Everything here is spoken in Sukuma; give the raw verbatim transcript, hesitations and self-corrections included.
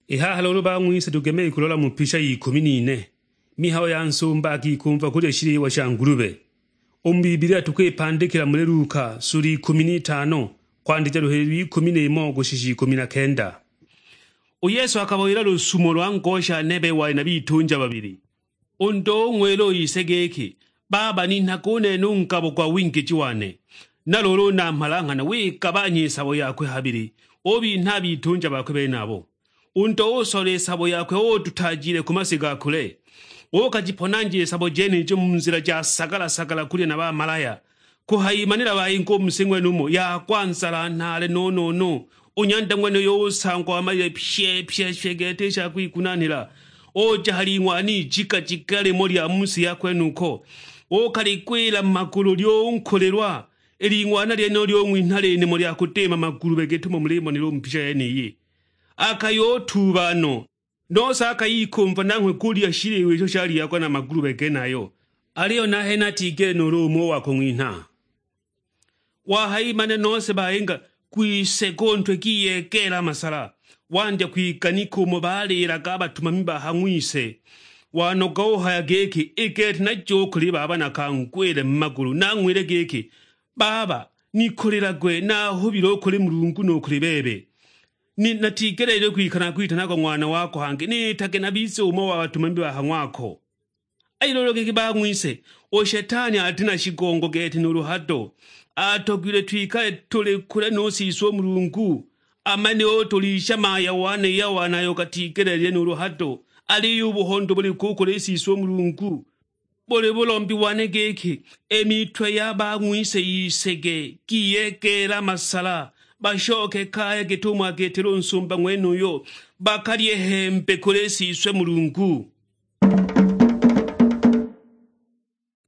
I haha luulu bang'wise tugeme kulola mu pisha y'ikumi n'ine, mihayo ya nsumba akikumva kulya shiliwa sha ngulube. U mu Bibilia tukwipandikila muli Luka sula ikumi n'itano, kwandija luhili lw'ikumi n'imo kushisha ikumi na kenda. U Yesu akabawila lusumo lwa ngosha nebe wali na bitunja babili. U ndo ung'wila u ise giki, "Baba, ninhaga u nene u ngabo gwa wingiji wane." Na luulu u namhala nghana wigabanya i sabo yakwe habili, ubinha a bitunja bakwe benabo. U ndo usola i sabo yakwe, ututaajile ku masi ga kule, ukajiponanja i sabo jenijo mu nzila ja sagala-sagala kulya na bamalaya. Kuhayimanila bayinga u mu si ng'wenumo, yagwa nzala nhaale no-no-no. U nyanda ng'wenuyo usangwa wamalile pye-pye-pye gete i sha kwigunanhila, uja ha ling'wana ijika-jika limo lya mu si ya kwenuko, ukaligwila mu magulu lyunkulilwa. I ling'wana lyenilo lyung'winha linimo lya kudima magulube git'umo mulimonela u mu picha yeniyi. Akayutuuba no, nose akayikumva nanghwe kulya shiliwa isho shalyiagwa na magulube genayo, aliyo nahene atigele nuulu umo wa kung'winha. Wahayimane nose bayinga, kwiseka u ntwe giyegeela a masala, wandya kwiganika umo baliilaga a batumami ba ha ng'wise. Wanoga uhaya giki, "I gete naje u kuli baba nakangwile mu magulu, nang'wile giki, 'Baba, nikolilagwe, nahubile u kuli Mulungu nu kuli bebe. Ni-, natigeleelilwe kwikala nakwitanagwa ng'wana wako, hangi niitage nabize umo wa batumami ba ha ng'wako.'" Aliyo luulu giki bang'wise, u Shetani ati na shigongo gete nuulu hado. Atogilwe twikale tuli kule nu Siswe u Mulungu, amanile utulisha maya wane ya wane ayo gatigeleelile nuulu hado, aliyo u buhondo buli ku kuli Siswe u Mulungu. Buli bulombi wane giki, i mitwe ya bang'wise yisege, giyegeela masala, bashoke kaya git'umo agitile u nsumba ng'wenuyo, bakalye hembe kuli Siswe Mulungu.